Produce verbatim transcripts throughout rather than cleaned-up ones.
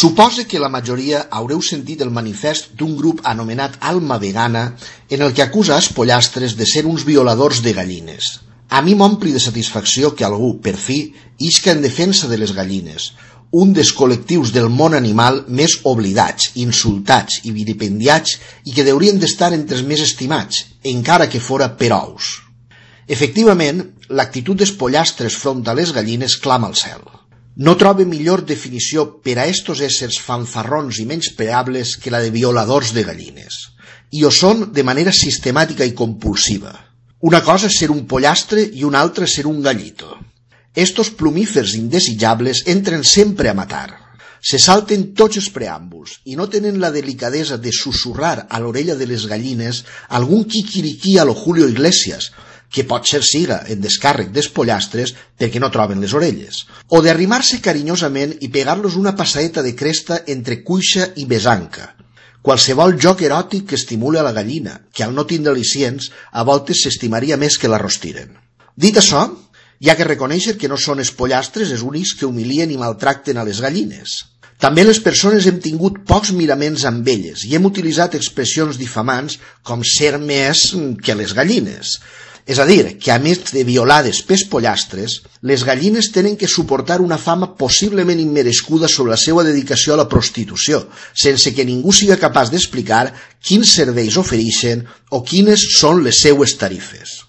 Supose que la majoria haureu sentit el manifest d'un grup anomenat Alma Vegana en el que acusa els pollastres de ser uns violadors de gallines. A mi m'ompli de satisfacció que algú, per fi, isca en defensa de les gallines, un dels col·lectius del món animal més oblidats, insultats i vilipendiats i que deurien d'estar entre els més estimats, encara que fora per ous. Efectivament, l'actitud dels pollastres front a les gallines clama al cel. No trobe millor definició per a estos éssers fanfarrons i menyspreables que la de violadors de gallines. I ho són de manera sistemàtica i compulsiva. Una cosa és ser un pollastre i una altra ser un gallito. Estos plumífers indesitjables entren sempre a matar. Se salten tots els preàmbuls i no tenen la delicadesa de susurrar a l'orella de les gallines algun quiquiriquí a lo Julio Iglesias, que potser siga en descàrrec dels pollastres perquè no troben les orelles, o d'arrimar-se carinyosament i pegar-los una passaeta de cresta entre cuixa i besanca. Qualsevol joc eròtic que estimule a la gallina, que al no tindre al·licients, a voltes s'estimaria més que la rostiren. Dit això, hi ha que reconèixer que no són els pollastres els únics que humilien i maltracten a les gallines. També les persones hem tingut pocs miraments amb elles i hem utilitzat expressions difamants com ser més que les gallines. És a dir, que a més de violades pels pollastres, les gallines tenen que suportar una fama possiblement immerescuda sobre la seva dedicació a la prostitució, sense que ningú siga capaç d'explicar quins serveis ofereixen o quines són les seues tarifes.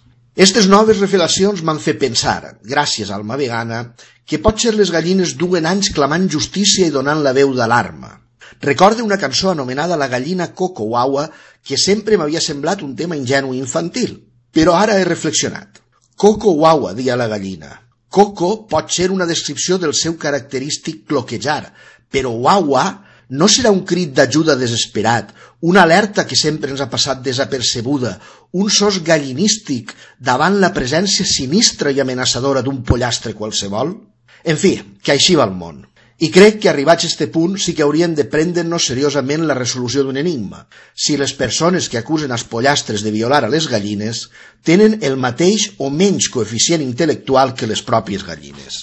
Estes noves revelacions m'han fet pensar, gràcies a Alma Vegana, que potser les gallines duen anys clamant justícia i donant la veu d'alarma. Recorde una cançó anomenada La gallina Coco Wawa que sempre m'havia semblat un tema ingenu i infantil. Però ara he reflexionat. Coco Wawa, deia la gallina. Coco pot ser una descripció del seu característic cloquejar, però Wawa no serà un crit d'ajuda desesperat, una alerta que sempre ens ha passat desapercebuda, un sos gallinístic davant la presència sinistra i amenaçadora d'un pollastre qualsevol? En fi, que així va el món. I crec que arribats a este punt sí que hauríem de prendre'ns seriosament la resolució d'un enigma. Si les persones que acusen els pollastres de violar a les gallines tenen el mateix o menys coeficient intel·lectual que les pròpies gallines.